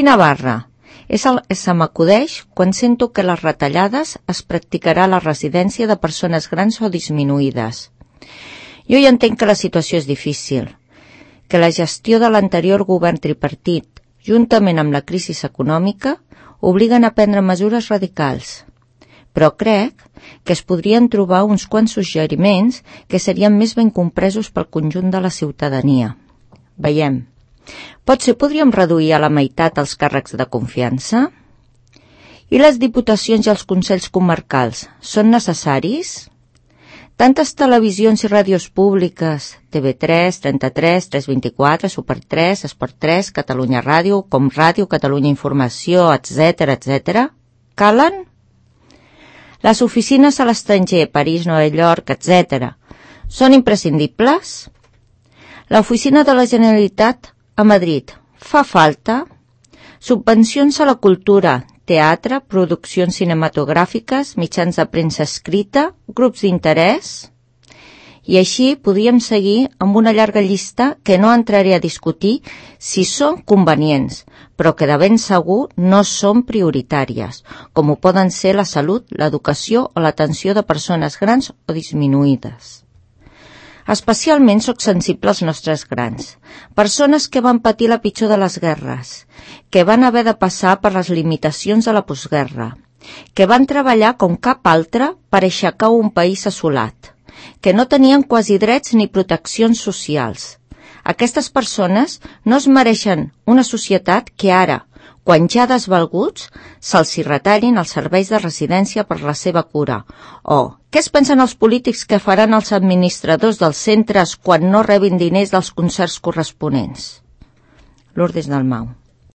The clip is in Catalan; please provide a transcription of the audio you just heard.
Quina barra? Se m'acudeix quan sento que les retallades es practicarà a la residència de persones grans o disminuïdes. Jo ja entenc que la situació és difícil, que la gestió de l'anterior govern tripartit, juntament amb la crisi econòmica, obliguen a prendre mesures radicals. Però crec que es podrien trobar uns quants suggeriments que serien més ben compresos pel conjunt de la ciutadania. Veiem. Potser podríem reduir a la meitat els càrrecs de confiança? I les diputacions i els consells comarcals són necessaris? Tantes televisions i ràdios públiques, TV3, 33, 324, Super 3, Esport 3, Catalunya Ràdio, Com Ràdio, Catalunya Informació, etc., calen? Les oficines a l'estranger, París, Nova York, etc., són imprescindibles? L'oficina de la Generalitat a Madrid fa falta? Subvencions a la cultura, teatre, produccions cinematogràfiques, mitjans de premsa escrita, grups d'interès? I així podríem seguir amb una llarga llista que no entraré a discutir si són convenients, però que de ben segur no són prioritàries, com ho poden ser la salut, l'educació o l'atenció de persones grans o disminuïdes. Especialment soc sensible als nostres grans, persones que van patir la pitjor de les guerres, que van haver de passar per les limitacions de la postguerra, que van treballar com cap altre per aixecar un país assolat, que no tenien quasi drets ni proteccions socials. Aquestes persones no es mereixen una societat que ara, quan ja desvalguts, se'ls hi retallin els serveis de residència per la seva cura. O què es pensen els polítics que faran els administradors dels centres quan no rebin diners dels concerts corresponents? Lourdes Dalmau.